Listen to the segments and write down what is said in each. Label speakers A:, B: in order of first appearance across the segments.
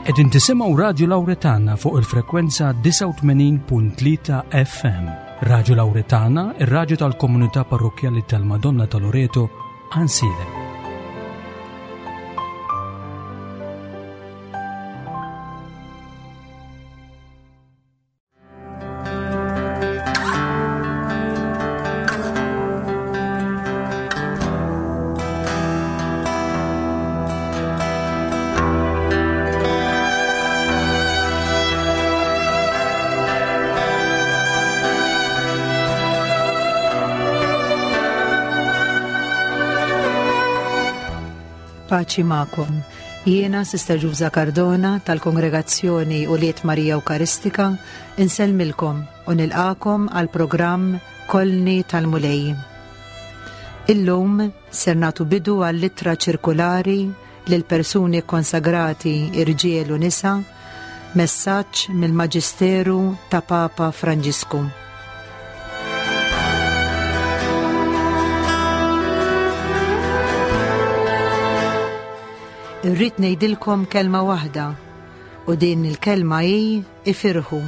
A: Qegħdin tisimgħu Radju Lawretana fuq il-frekwenza 89.3 FM. Radju Lawretana, ir-radju tal-komunità parrokkjali tal-Madonna ta' Loreto, Ansilem.
B: Paċi magħkom. Jiena Sister Ġuża Cardona tal-Kongregazzjoni Ulied Marija Ewkaristika insellmilkom u nilqakom għal programm Kolni tal-Mulej. Illum ser nagħtu bidu għall-ittra ċirkulari lil persuni kkonsagrati irġiel u nisa, messaġġ mill-Maġisteru ta' Papa Franġisku. Irrid ngħidilkom kelma waħda u din il-kelma hi ifirħu.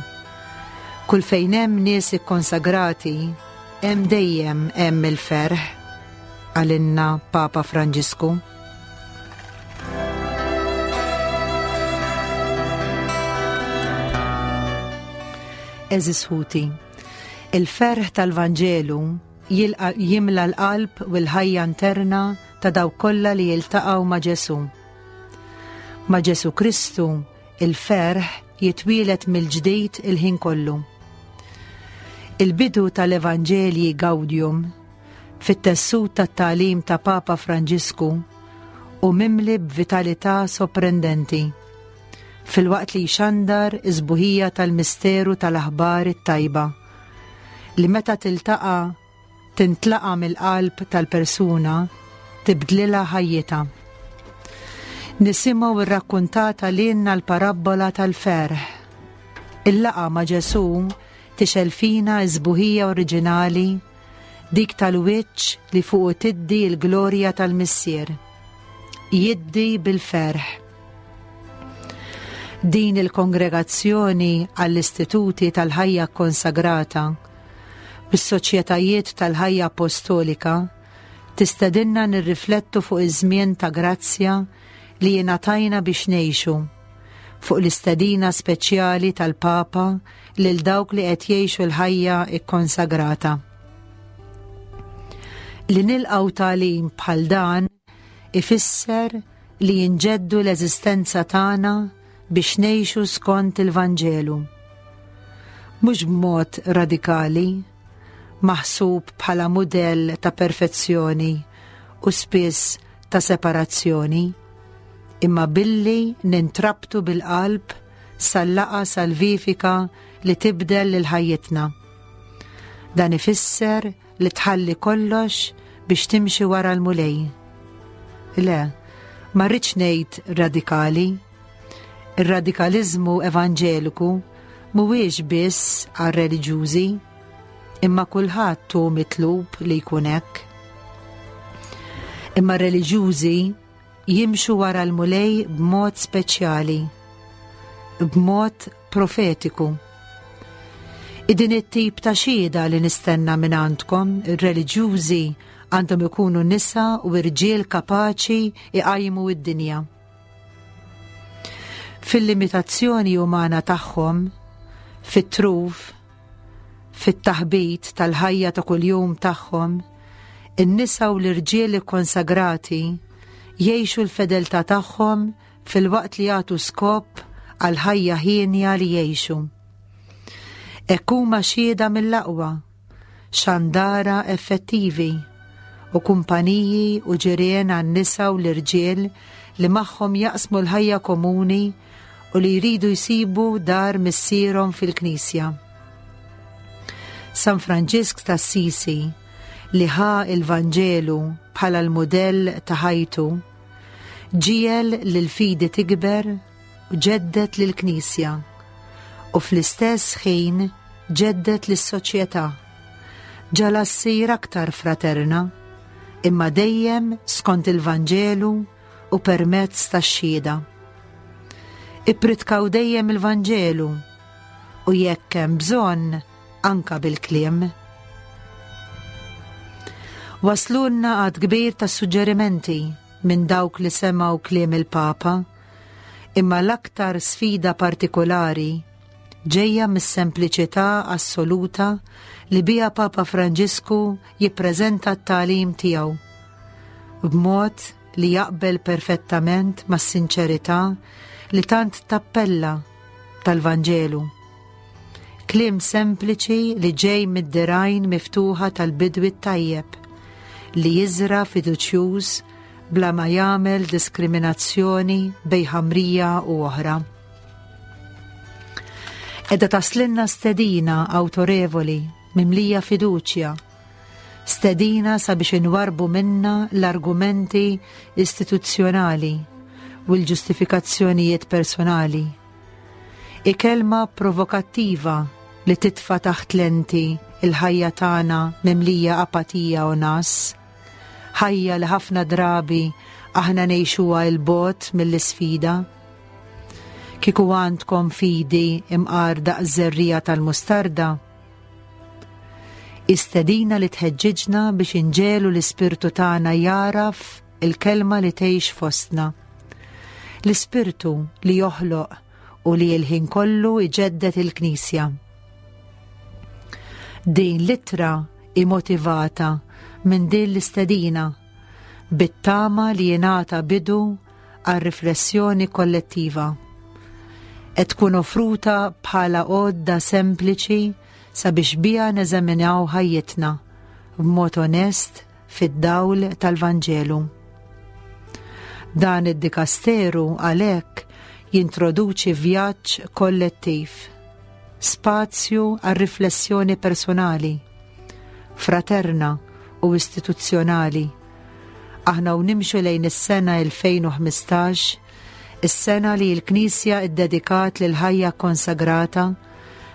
B: Kull fejn hemm nies ikkonsagrati, hemm dejjem hemm il-ferħ, għalinna Papa Franġisku. Eżis ħuti, il-ferħ tal-Vanġelu jimla l-qalb u l-ħajja interna ta' dawk kollha li jiltaqgħu ma' Ġesù. Ma' Ġesù Kristu, il-ferħ jitwielet mill-ġdid il-ħin kollu. Il-bidu tal-Evanġelji Gaudium fit-tessut tat-tagħlim ta' Papa Franġisku hu mimli b'vitalità soprendenti, filwaqt li jxandar is-sbuħija tal-misteru tal-aħbar it-tajba, li meta tiltaqa' tintlaqa' mill-qalb tal-persuna tibdlilha ħajjitha. Nisimgħu rrakkuntata lilna l-parabbola tal-ferħ. Il-laqgħa ma' Ġesù tixgħel fina s-sbuħija oriġinali Dik tal-wiċċ li fuqu tiddi l-glorja tal-Missier. Jiddi bil-ferħ. Din il-kongregazzjoni għall-istituti tal-ħajja kkonsagrata bis-soċjetajiet tal-ħajja apostolika tistedinna nirriflettu fuq iż-żmien ta' grazzja li jingħatajna biex ngħixu fuq l-istedina speċjali tal-Papa lil dawk li qed jgħixu l-ħajja kkonsagrata. Li nilqgħu tagħlim bħal dan ifisser li jinġeddu l-eżistenza tagħna biex ngħixu skont il-Vanġelu. Mhux b'mod radikali, maħsub bħala mudell ta' perfezzjoni u spiss ta' separazzjoni, imma billi nintrabtu bil-qalb sal-laqgħa salvifika li tibdel lil ħajjitna. Dan ifisser li tħalli kollox biex timxi wara l-Mulej. Le, ma rridx ngħid radikali. Ir-radikaliżmu evanġeliku mhuwiex biss għar-reliġjużi, imma kulħadd hu mitlub li jkun hekk. Imma r-reliġjużi jimxu wara l-Mulej b'mod speċjali, b'mod profetiku. Din it-tip ta' xhieda li nistenna minn għandkom, ir-reliġjużi għandhom ikunu nisa u irġiel kapaċi iqajmu id-dinja. Fil-limitazzjoni umana tagħhom, fit-truf, Fit-taħbit tal-ħajja ta' kuljum tagħhom, in-nisa u l-irġiel ikkonsagrati jgħixu l-fedeltà tagħhom filwaqt li jagħtu skop għall-ħajja hienja li jgħixu. Hekk huma xhieda mill-aqwa, xandara effettivi u kumpaniji u ġirien għan-nisa u l-irġiel li magħhom jaqsmu l-ħajja komuni u li jridu jsibu dar missierhom fil-Knisja. San Franġisk t'Assisi li ħa il-Vanġelu bħala l-mudell ta' ħajtu, ġiegħel lill-fidi tikber u ġedded lill-Knisja u fl-istess ħin ġedded lis-soċjetà. Ġagħalha ssir aktar fraterna, imma dejjem skont il-Vanġelu u permezz tax-xhieda. Ippritkaw dejjem il-Vanġelu u jekk hemm bżonn anka bil-kliem. Waslulna għad kbir ta' suġġerimenti minn dawk li semgħu kliem il-Papa, imma l-aktar sfida partikolari ġejja mis-sempliċità assoluta li biha Papa Franġisku jippreżenta t-tagħlim tiegħu b'mod li jaqbel perfettament mas-sinċerità li tant tappella tal-Vanġelu. Kliem sempliċi li ġej mid-dirgħajn miftuħa tal-bidwi t-tajjeb, li jiżra' fiduċjuż bla ma jagħmel diskriminazzjoni bejn ħamrija u oħra. Qiegħda taslinna stedina awtorevoli mimlija fiduċja, stedina sabiex inwarrbu minna l-argumenti istituzzjonali u l-ġustifikazzjonijiet personali. Hi kelma provokattiva li titfa' taħt lenti l-ħajja tagħna mimlija apatija u ngħas, ħajja li ħafna drabi aħna ngħixuha 'l bogħod mill-isfida. Kieku għandkom fidi imqar daqs żerriegħa tal-mustarda, Hi stedina li tħeġġiġna biex inġegħlu l-ispirtu tagħna jagħraf il-Kelma li tgħix fostna. L-Ispirtu li joħloq u li l-ħin kollu jġedded il-Knisja. Din l-ittra hi motivata minn din l-istedina bit-tama li jingħata bidu għal riflessjoni kollettiva. Qed tkun offruta bħala għodda sempliċi sabiex biha neżaminaw ħajjitna b'mod onest fid-dawl tal-Vanġelu. Dan id-dikasteru għalhekk jintroduċi vjaġġ kollettiv, spazju għal riflessjoni personali, fraterna u istituzzjonali. Aħna u nimxu lejn is-sena 2015, is-sena li l-Knisja ddedikat lill-ħajja kkonsagrata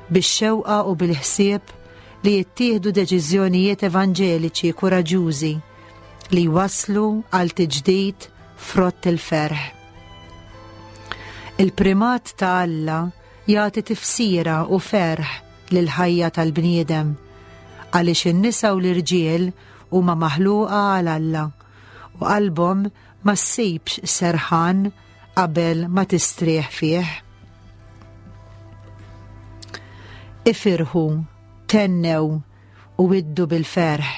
B: bix-xewqa u bil-ħsieb li jittieħdu deċiżjonijiet evanġeliċi kuraġġużi li jwasslu għal tiġdid frott il-ferħ. Il-primat ta' Alla jagħti tifsira u ferħ lill-ħajja tal-bniedem għaliex in-nisa u l-irġiel huma maħluqa għal Alla u qalbhom ma ssibx serħan qabel ma tistrieħ fih. Ifirħu, tennew u iddu bil-ferħ.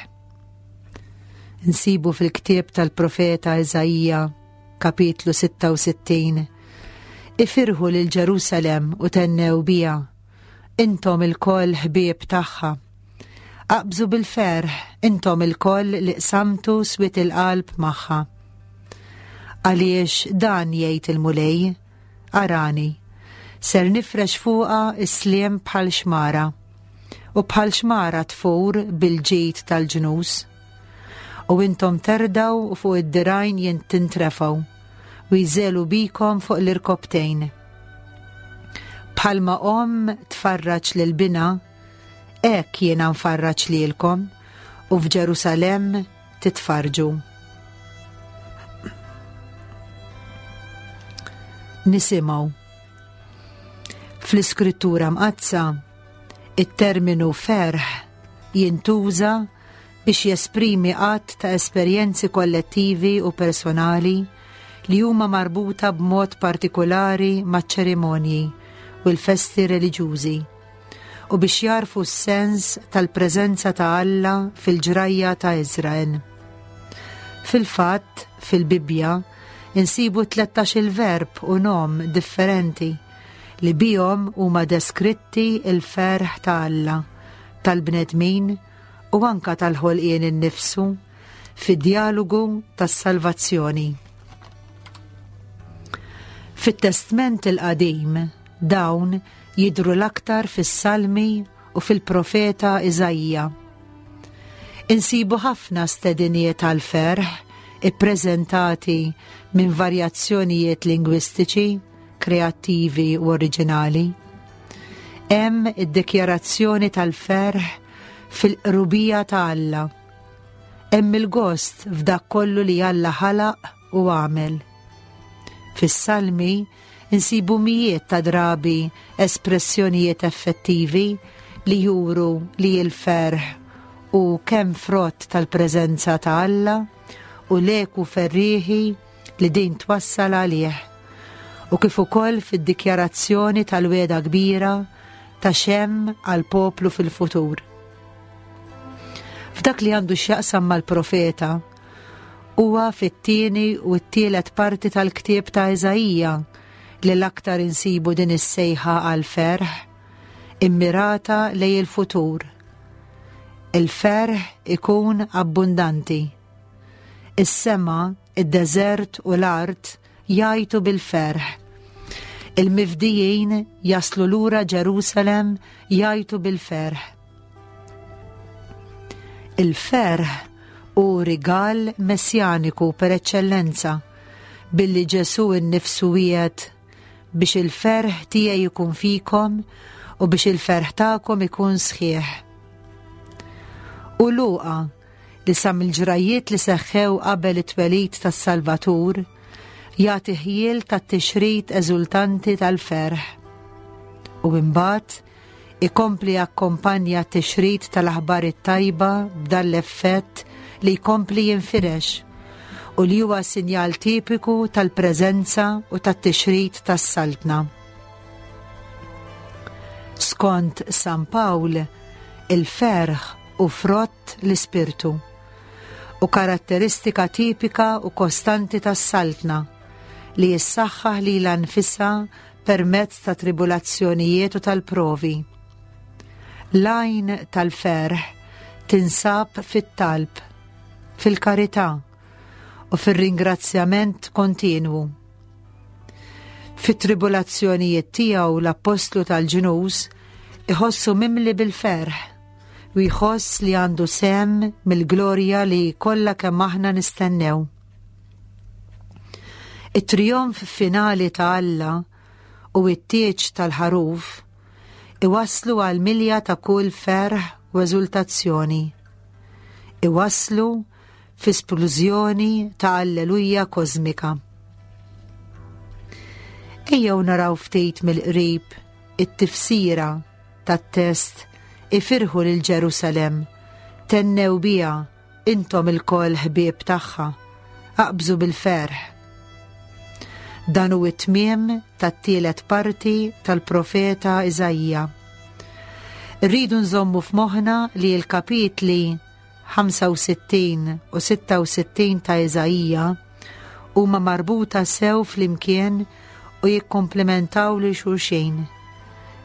B: Nsibu fil-ktieb tal-profeta Iżaija, kapitlu 66. Ifirħu lil Ġerusalem u tennew biha, intom ilkoll ħbieb tagħha. Aqbżu bil-ferħ, intom ilkoll li qsamtu swied il-qalb magħha. Għaliex dan jgħid il-Mulej, arani, ser nifrex fuqha s-sliem bħal xmara, u bħal xmara tfur bil-ġid tal-ġnus. U intom terdgħu u fuq id-dirgħajn tintrefgħu, u jżelu bikom fuq l-irkobtejn. Bħalma omm tfarraġ lil binha, Hekk jiena nfarraġ lilkom u f'Ġerusalemm titfarrġu. Nisimgħu. Fl-Iskrittura Mqaddsa, it-terminu ferħ jintuża biex jesprimi għadd ta' esperjenzi kollettivi u personali li huma marbuta b'mod partikulari maċ-ċerimonji u l-festi reliġjużi. u biex jagħrfu s-sens tal-preżenza ta' Alla fil-ġrajja ta' Iżrael. Fil-fatt, fil-Bibbja, insibu 13-il verb u nom differenti li bihom huma deskritti l-ferħ ta' Alla, tal-bnedmin u anka tal-ħolqien innifsu fid-djalogu tas-salvazzjoni. Fit-Testment il-Qadim, Dawn jidhru l-aktar fis-Salmi u fil-profeta Iżaija. Insibu ħafna stediniet għall-ferħ ippreżentati minn varjazzjonijiet lingwistiċi, kreattivi u oriġinali. Hemm id-dikjarazzjoni tal-ferħ fil-qrubija ta' Alla. Hemm il-gost f'dak kollu li Alla ħalaq u għamel. Fis-Salmi. insibu mijiet ta' drabi espressjonijiet effettivi li juru li l-ferħ hu kemm frott tal-preżenza ta' Alla u l-eku ferrieħi li din twassal għalih, u kif ukoll fid-dikjarazzjoni tal-wegħda kbira ta' x'hemm għall-poplu fil-futur. F'dak li għandu x'jaqsam mal-profeta, huwa fit-tieni u t-tielet parti tal-ktieb ta' Iżaija li l-aktar insibu din is-sejħa għall-ferħ, immirata lejn il-futur. Il-ferħ ikun abbundanti. Is-sema, id-deżert u l-art jgħajtu bil-ferħ. Il-mifdijin jaslu lura Ġerusalem jgħajtu bil-ferħ. Il-ferħ hu rigal messjaniku per eċċellenza billi Ġesù nnifsu wiegħed biex il-ferħ tiegħi jkun fikom u biex il-ferħ tagħkom ikun sħiħ. U Luqa li sa mill-ġrajjiet li seħħew qabel it-twelid tas-Salvatur, jagħti ħjiel tat-tixrid eżultanti tal-ferħ. U imbagħad ikompli jakkompanja t-tixrid tal-aħbar it-tajba b'dan l-effett li jkompli jinfirex u li huwa sinjal tipiku tal-preżenza u tat-tixrid tas-Saltna. Skont San Pawl, il-ferħ hu frott l-Ispirtu u karatteristika tipika u kostanti tas-Saltna li jissaħħaħ lilha nfisha permezz ta' tribulazzjonijiet u tal-provi. L-għajn tal-ferħ tinsab fit-talb, fil-karità u fir-ringrazzjament kontinwu. Fit-tribulazzjonijiet tiegħu l-appostlu tal-ġnus iħossu mimli bil-ferħ u jħoss li għandu sehem mill-glorja li kollha kemm aħna nistennew. It-trijonf finali ta' Alla u t-tieġ tal-ħaruf iwasslu għal milja ta' kull ferħ u eżultazzjoni. Iwasslu fi splużjoni ta' alleluja kożmika. Ejjew naraw ftit mill-qrib it-tifsira tat-test ifirħu lil Ġerusalemm, tennew biha Intom ilkoll ħbieb tagħha, aqbżu bil-ferħ. Dan hu t-tmiem tat-tielet parti tal-profeta Iżaija. Rridu nżommu f'moħħna li l-kapitli 65 u 66 ta' Iżaija huma marbuta sew flimkien u jikkomplementaw lil xulxin,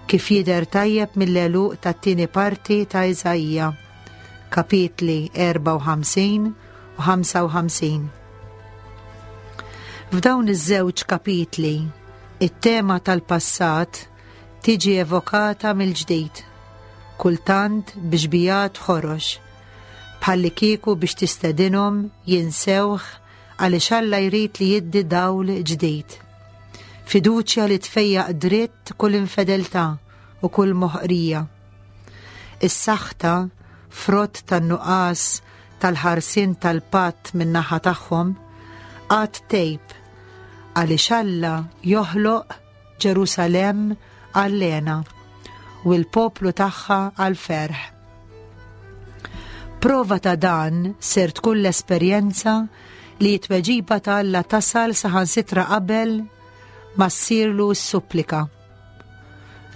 B: kif jidher tajjeb mill-għeluq tat-tieni parti ta' Iżaija. kapitli 54 u 55. F'dawn iż-żewġ kapitli, it-tema tal-passat tiġi evokata mill-ġdid, kultant bi xbijat ħorox, bħallikieku biex tistedinhom jinsewh għaliex Alla jrid li jiddi dawl ġdid. Fiduċja li tfejjaq dritt kull infedeltà u kull moħqrija. Is-saħta, frott tan-nuqqas tal-ħarsien tal-patt min-naħa tagħhom, għad tgħib għaliex Alla joħloq Ġerusalemm għall-hena u l-poplu tagħha għall-ferħ. Prova ta' dan ser tkun l-esperjenza li t-tweġiba ta' Alla tasal saħansitra qabel ma ssirlu s-supplika.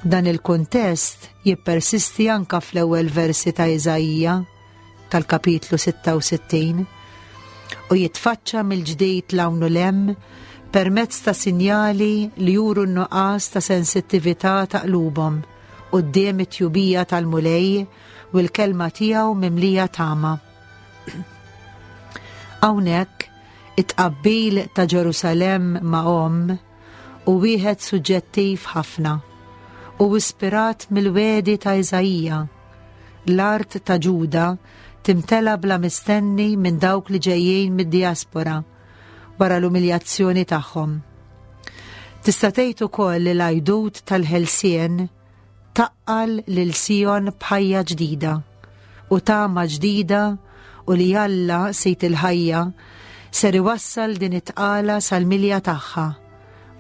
B: Dan il-kuntest jippersisti anka fl-ewwel versi ta' Iżaija tal-kapitlu 66 u jitfaċċa mill-ġdid l-hawn u l-hemm permezz ta' sinjali li juru n-nuqqas ta' sensittività ta' qlubhom quddiem it-tjubija tal-Mulej u l-kelma tiegħu mimlija tama. Hawnhekk it-tqabbil ta' Ġerusalemm ma' omm hu wieħed suġġettiv ħafna u ispirat mill-wegħdi ta' Iżaija. L-art ta' Ġuda timtela bla mistenni minn dawk li ġejjin mid-dijaspora wara l-umiljazzjoni tagħhom. Tista' tgħid ukoll li l-għajdut tal-ħelsien Taqqal lil Sijon b'ħajja ġdida u tama ġdida u li Alla, Sid il-ħajja, ser iwassal din it-tqala sal-milja tagħha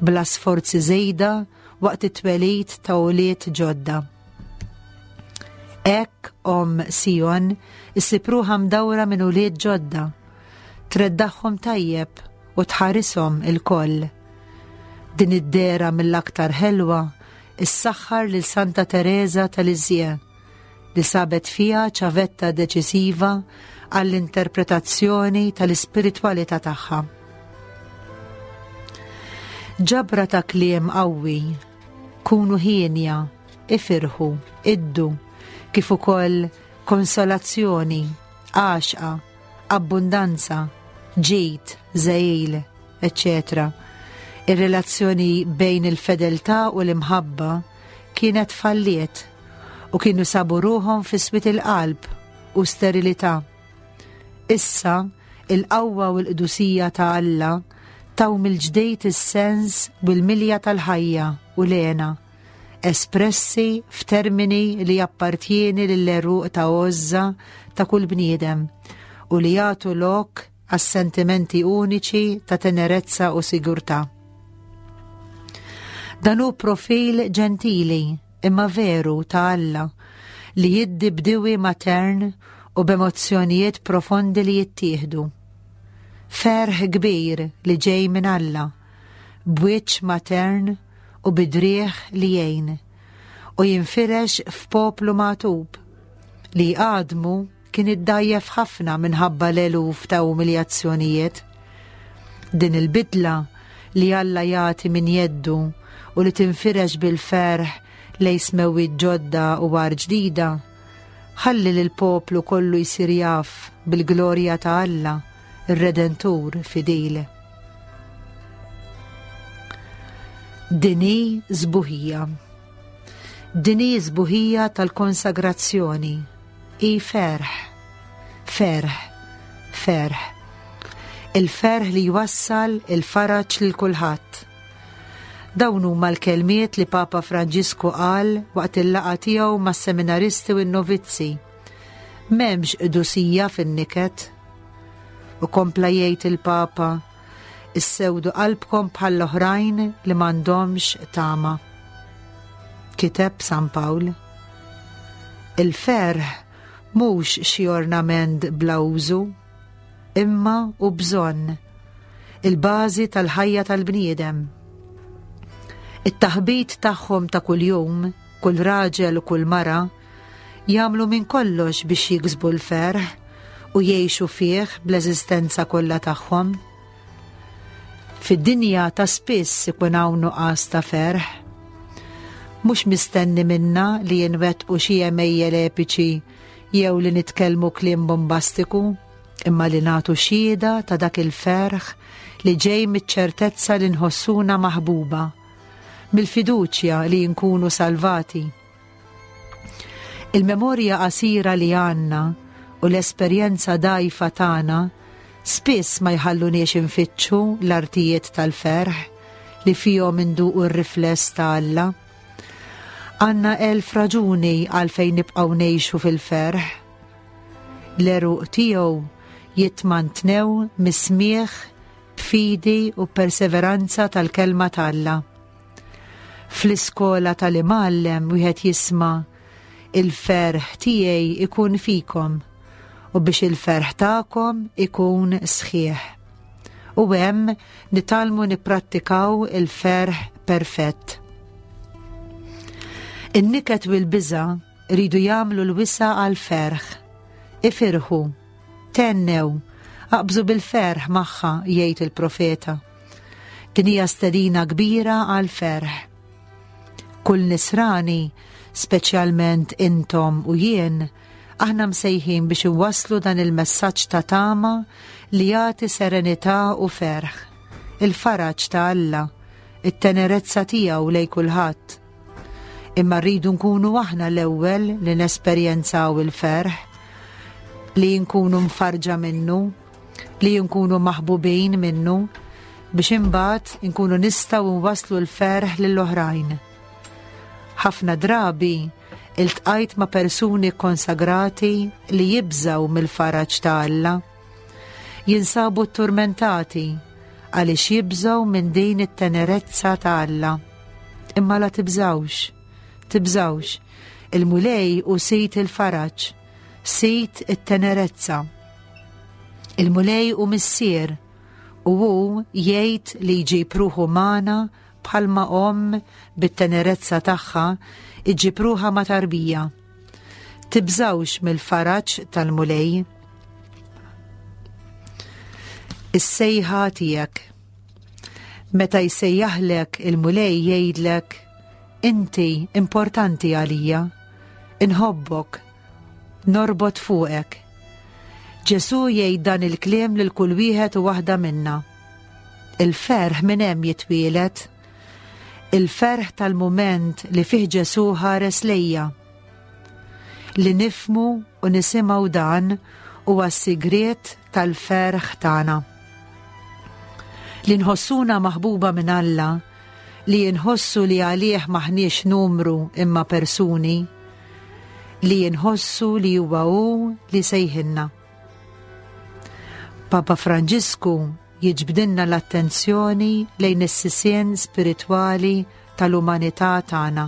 B: bla sforzi żejda waqt it-twelid ta' ulied ġodda. Hekk omm Sijon issib ruħha mdawra minn ulied ġodda, treddaħħom tajjeb u tħarishom ilkoll. Din id-dehra mill-aktar ħelwa ssaħħar lil Santa Tereża ta' Lisieux li sabet fiha ċavetta deċisiva għall-interpretazzjoni tal-ispiritwalità tagħha. Ġabra ta' kliem qawwi, kunu hienja, ifirħu, iddu, kif ukoll konsolazzjoni, għaxqa, abbundanza, ġid, żegħil, eċċetera Ir-relazzjoni bejn il-fedeltà u l-imħabba kienet falliet u kienu sabu ruħhom fi swied il-qalb u sterilità. Issa, il-qawwa u l-qdusija ta' Alla taw mill-ġdejt is-sens u l-milja tal-ħajja u l-hena espressi f'termini li jappartjieni lill-għeruq ta' għożża ta' kull bniedem u li jagħtu lok għas-sentimenti uniċi ta' tenerezza u sigurtà. Dan hu profil ġentili imma veru ta' Alla li jiddi b'diwi matern u b'emozzjonijiet profondi li jittieħdu. Ferħ kbir li ġej minn Alla, b'wiċċ matern u bi driegħ li jgħin, u jinfirex f'poplu magħtub, li għadmu kien iddgħajjef ħafna minħabba l-eluf ta' umiljazzjonijiet. Din il-bidla li Alla jagħti minn jeddu u li tinfirex bil-ferħ lejn smewwiet ġodda u art ġdida, ħalli lill-poplu kollu jsir jaf bil-glorja ta' Alla, ir-Redentur fidil. Din hi sbuħija. Din hi sbuħija tal-konsagrazzjoni. Hi ferħ. Ferħ. Ferħ. Il-ferħ li jwassal il-faraġ lil kulħadd. Dawn huma l-kelmiet li Papa Franġisku qal waqt il-laqgħa tiegħu mas-seminaristi u n-novizzi. M'hemmx qdusija fin-niket. U kompla jgħid il-Papa, Issewdu qalbkom bħall-oħrajn li m'għandhomx tama. Kiteb San Pawl. Il-ferħ mhux xi ornament bla użu, imma hu bżonn, il-bażi tal-ħajja tal-bniedem. It-taħbit tagħhom ta' kuljum, kull raġel u kull mara, jagħmlu minn kollox biex jiksbu l-ferħ u jgħixu fih bl-eżistenza kollha tagħhom. Fid-dinja ta' spiss ikun hawn nuqqas ta' ferħ. Mhux mistenni minna li nwettqu xi għemejjel epiċi jew li nitkellmu kliem bombastiku, imma li nagħtu xhieda ta' dak il-ferħ li ġej miċ-ċertezza li nħossuna maħbuba, mill-fiduċja li nkunu salvati. Il-memorja qasira li għandna u l-esperjenza dgħajfa tagħna spiss ma jħalluniex infittxu l-artijiet tal-ferħ li fihom induqu r-rifless ta' Alla. Għandna elf raġuni għalfejn nibqgħu ngħixu fil-ferħ. L-għeruq tiegħu jitmantnew mis-smigħ b'fidi u perseveranza tal-kelma t'Alla. Fl-iskola tal-imgħallem wieħed jisma' il-ferħ tiegħi ikun fikom u biex il-ferħ tagħkom ikun sħiħ. U hemm nitgħallmu nipprattikaw il-ferħ perfett. In-niket u l-biża' Iridu jagħmlu l-wisa' għall-ferħ. Ifirħu. Thennew. Aqbżu bil-ferħ magħha, jgħid il-profeta. Din hija stedina kbira għall-ferħ. Kull nisrani, speċjalment intom u jien, aħna msejħin biex inwasslu dan il-messaġġ ta' tama li jagħti serenità u ferħ. Il-faraġ ta' Alla, it-tenerezza tiegħu lejn kulħadd. Imma rridu nkunu aħna l-ewwel li nesperjenzaw il-ferħ, li nkunu mfarġa minnu, li nkunu maħbubin minnu, biex imbagħad nkunu nistgħu nwasslu l-ferħ lill-oħrajn. Ħafna drabi iltqajt ma' persuni konsagrati li jibżgħu mill-faraġ ta' Alla. Jinsabu tturmentati. għaliex jibżgħu minn din it-tenerezza ta' Alla. Imma la tibżgħux, tibżgħux, il-Mulej hu sid il-faraġ, sid it-tenerezza. Il-Mulej hu missier u hu jgħid li jġib ruħu magħna bħalma omm bit-tenerezza tagħha iġġib ruħha ma' tarbija. Tibżgħux mill-faraġ tal-Mulej. Is-sejħa tiegħek. Meta jsejjaħlek il-Mulej jgħidlek, inti importanti għalija, inħobbok, norbot fuqek. Ġesù jgħid dan il-kliem lil kull wieħed u waħda minna. Il-ferħ minn hemm jitwieled. Il-ferħ tal-mument li fih Ġesù ħares lejja. Li nifmu u nisimgħu dan huwa s-sigriet tal-ferħ tagħna. Li nħossuna maħbuba minn Alla, li nħossu li għalih maħniex numru imma persuni, li nħossu li huwa hu li sejħilna. Papa Franġisku jiġbdilna l-attenzjoni lejn is-sisien spiritwali tal-umanità tagħna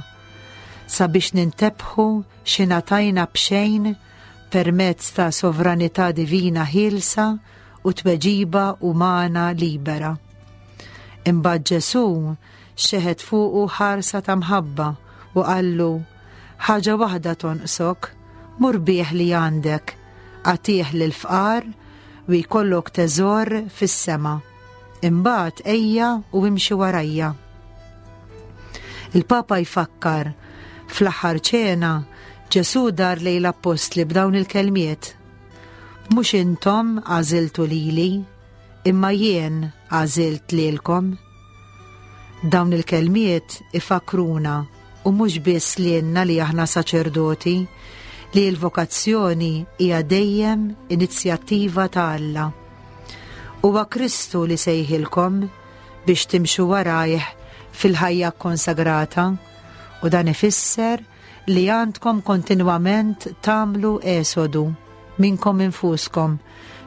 B: sabiex nintebħu x'ingħatajna b'xejn permezz ta' sovranità divina ħielsa u tweġiba umana libera. Imbagħad Ġesù xeħet fuqu ħarsa ta' mħabba u qallu, Ħaġa waħda tonqsok, mur bih li għandek, agħtih lill-fqar u jkollok teżor fis-sema. Imbagħad ejja u imxi warajja. Il-Papa jfakkar, fl-aħħar ċena, Ġesù dar lejn l-appostli b'dawn il-kelmiet, Mhux intom għażiltu lili, imma jien għażilt lilkom. Dawn il-kelmiet ifakkruna, u mhux biss lilna li aħna saċerdoti, li l-vokazzjoni hija dejjem inizjattiva ta' Alla. Huwa Kristu li sejħilkom biex timxu warajh fil-ħajja kkonsagrata u dan ifisser li għandkom kontinwament tagħmlu esodu minnkom infuskom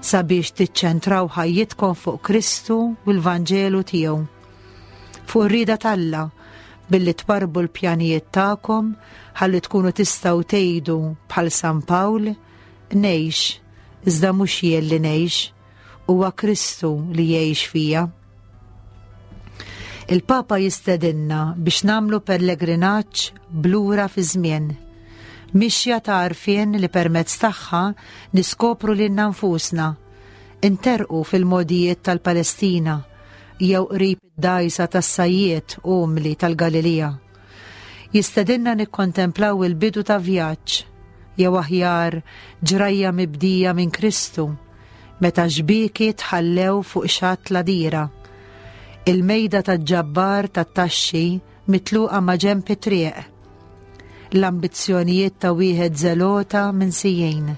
B: sabiex tiċċentraw ħajjitkom fuq Kristu u l-Vanġelu tiegħu. Fuq ir-rieda t'Alla billi twarrbu l-pjanijiet tagħkom ħalli tkunu tistgħu tgħidu bħal San Pawl, ngħix, iżda mhux jien li ngħix, huwa Kristu li jgħix fija. Il-Papa jistedinna biex nagħmlu pellegrinaġġ blura fi żmien. Mixja ta' għarfien li permezz tagħha niskopru lilna nfusna, interqu fil-mogħdijiet tal-Palestina jew qrib id-dgħajsa tas-sajjied umli tal-Galilija. Jistedinna nikkontemplaw il-bidu ta' vjaġġ, jew aħjar ġrajja mibdija minn Kristu, meta xbieki tħallew fuq xatt l-għadira. Il-mejda ta' ġabbar tat-taxxi mitluqa ma' ġenb it-triq. L-ambizzjonijiet ta' wieħed żelota minsijin.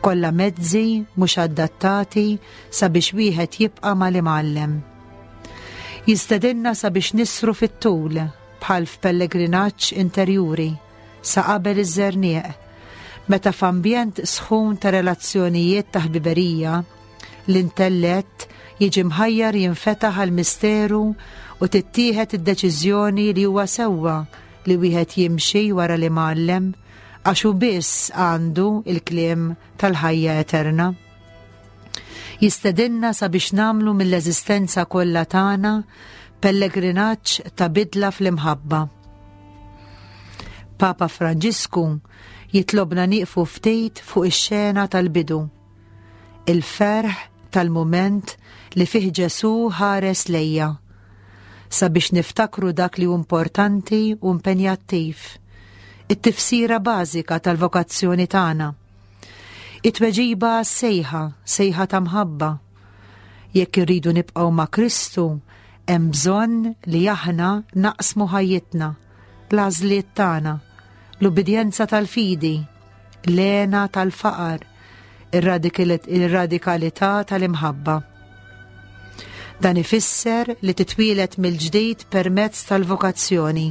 B: Kollha mezzi mhux adattati sabiex wieħed jibqa' mal-Imgħallem. Jistedinna sabiex nisru fit-tul bħal f'pellegrinaġġ interjuri sa qabel iż-żerniq, meta f'ambjent sħun ta' relazzjonijiet ta' ħbiberija, l-intellett jiġi mħajjar jinfetaħ għall-misteru u tittieħed id-deċiżjoni li huwa sewwa li wieħed jimxi wara l-Imgħallem għax hu biss għandu l-kliem tal-ħajja eterna. Jistedinna sabiex nagħmlu mill-eżistenza kollha tagħna pellegrinaġġ ta' bidla fl-imħabba. Papa Franġisku jitlobna nieqfu ftit fuq ix-xena tal-bidu il-ferħ tal-mument li fih Ġesù ħares lejja, sabiex niftakru dak li hu importanti u impenjattiv, it-tifsira bażika tal-vokazzjoni tagħna. It-tweġiba għas-sejħa, sejħa ta' mħabba. Jekk irridu nibqgħu ma' Kristu, hemm bżonn li aħna naqsmu ħajjitna, l-għażliet tagħna, l-ubbidjenza tal-fidi, l-hena tal-faqar, ir-radikalità tal-imħabba. Dan ifisser li titwieled mill-ġdid permezz tal-vokazzjoni.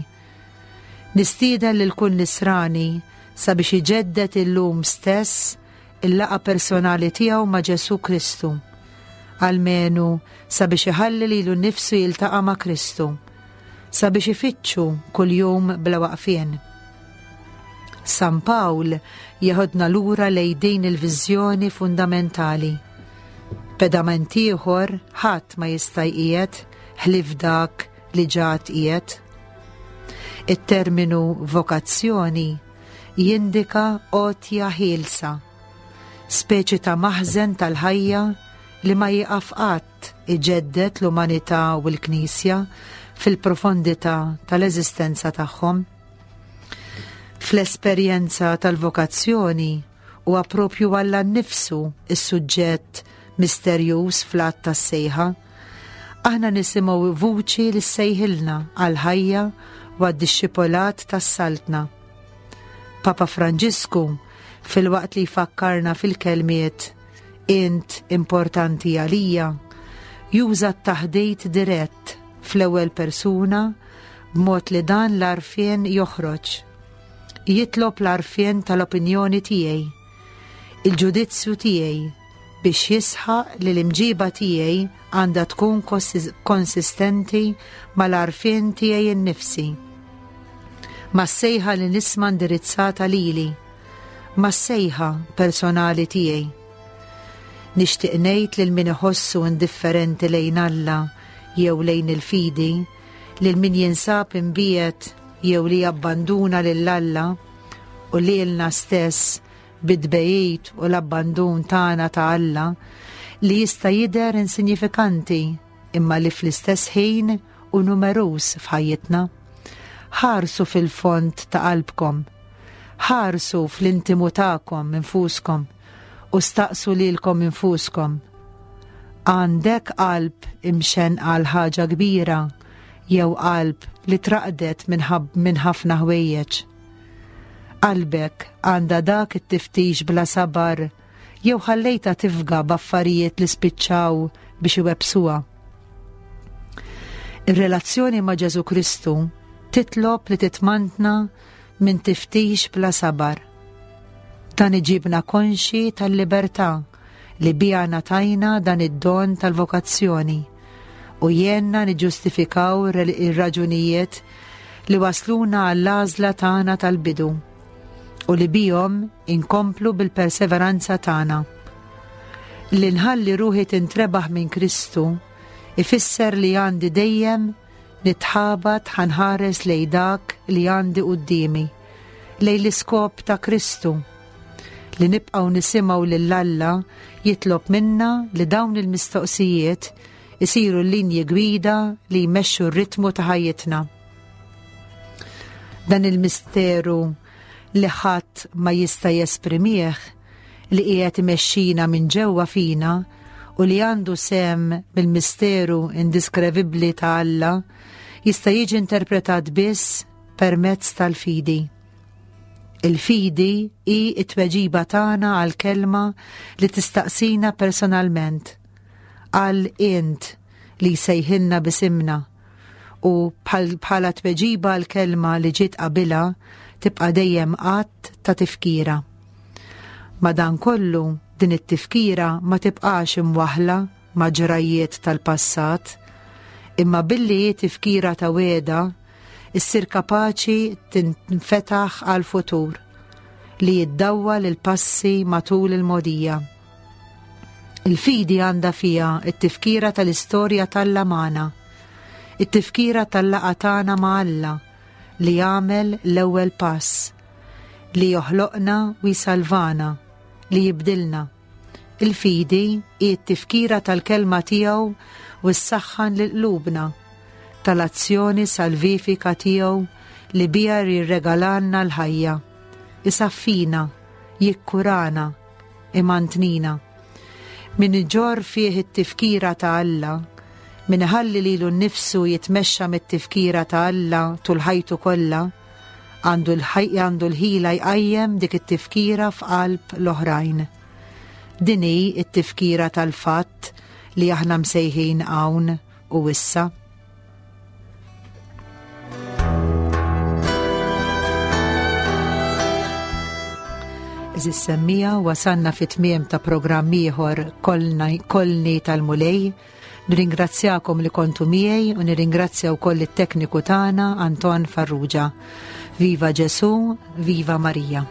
B: Nistieden lil kull nisrani sabiex iġedded illum stess il-laqgħa personali tiegħu ma' Ġesù Kristu. Almenu sabiex iħalli lilu nnifsu jiltaqa' ma' Kristu, sabiex ifittxu kuljum bla waqfien. San Pawl jeħodna lura lejn din il-viżjoni fundamentali. Pedament ieħor ħadd ma jista' jqiegħed ħlief dak li ġa tqiegħed. It-terminu vokazzjoni jindika għotja ħielsa, speċi ta' maħżen tal-ħajja li ma jieqaf qatt iġedded l-umanità u l-Knisja fil-profondità tal-eżistenza tagħhom. Fl-esperjenza tal-vokazzjoni huwa propju Alla nnifsu s-suġġett misterjuż fl-att tas-sejħa. Aħna nisimgħu vuċi li ssejħilna għall-ħajja u għad-dixxipolat tas-Saltna. Papa Franġisku, filwaqt li jfakkarna fil-kelmiet Int importanti għalija, juża t-taħdit dirett fl-ewwel persuna b'mod li dan l-għarfien joħroġ. Jitlob l-għarfien tal-opinjoni tiegħi, il-ġudizzju tiegħi biex jisħaq li l-imġiba tiegħi għandha tkun konsistenti mal-għarfien tiegħi nnifsi, mas-sejħa li nisma' indirizzata lili, mas-sejħa personali tiegħi. Nixtieq ngħid lil min iħossu indifferenti lejn Alla jew lejn il-fidi, lil min jinsab imbiegħed jew li jabbanduna lil Alla u lilna stess bit-tbegħid u l-abbandun tagħna ta' Alla li jista' jidher insinjifikanti imma li fl-istess ħin hu numeruż f'ħajjitna. Ħarsu fil-fond ta' qalbkom. Ħarsu fl-intimu tagħkom infuskom u staqsu lilkom infuskom. Għandek qalb imxenqa għal ħaġa kbira jew qalb li traqdet minn ħafna ħwejjeġ? Qalbek għandha dak it-tiftix bla sabar jew ħallejtha tifga b'affarijiet li spiċċaw biex iwebbsuha? Ir-relazzjoni ma' Ġesù Kristu titlob li titmantna minn tiftix bla sabar. Dan iġibna konxji tal-libertà li biha ngħatajna dan id-don tal-vokazzjoni u jgħinna niġġustifikaw ir-raġunijiet li wasluna għall-għażla tagħna tal-bidu u li bihom inkomplu bil-perseveranza tagħna. Li nħalli ruħi tintrebaħ minn Kristu ifisser li għandi dejjem nitħabat ħanħares lejn dak li għandi quddiemi, lejn l-iskop ta' Kristu. Li nibqgħu nisimgħu lil Alla jitlob minna li dawn il-mistoqsijiet isiru l-linji gwida li jmexxu r-ritmu ta' ħajjitna. Dan il-misteru li ħadd ma jista' jesprimih li qiegħed imexxina minn ġewwa fina u li għandu sehem mill-misteru indiskrevibbli ta' Alla jista' jiġi interpretat biss permezz tal-fidi. Il-fidi hi t-tweġiba tagħna għall-kelma li tistaqsina personalment, għal int li jsejħilna b'isimna u bħala tweġiba għall-kelma li ġiet qabilha tibqa' dejjem att ta' tifkira. Madankollu, din it-tifkira ma tibqax imwaħħla ma' ġrajjiet tal-passat, imma billi hi tifkira ta' wegħda, issir kapaċi tinfetaħ għall-futur, li jiddawwal il-passi matul il-mogħdija. Il-fidi għandha fiha t-tifkira tal-istorja t'Alla magħna, it-tifkira tal-laqgħa tagħna ma' Alla li għamel l-ewwel pass, li joħloqna u jsalvana, li jibdilna. Il-fidi hi t-tifkira tal-kelma tiegħu u ssaħħan lil qlubna, tal-azzjoni salvifika tiegħu li biha jirregalalna l-ħajja, isaffina, jikkurana, imantnina. Min iġorr fih it-tifkira ta' Alla, min iħalli lilu nnifsu jitmexxa mit-tifkira ta' Alla tul ħajtu kollha, għandu għandu l-ħila jqajjem dik it-tifkira f'qalb l-oħrajn. Din hi t-tifkira tal-fatt li aħna msejħin hawn u issa. Eżis semmija, wasalna fit tmiem ta' programm ieħor Kolni tal-Mulej. Nirringrazzjakom li kontu miegħi u nirringrazzja wkoll it-tekniku tagħna Anton Farrugia. Viva Ġesu, viva Marija.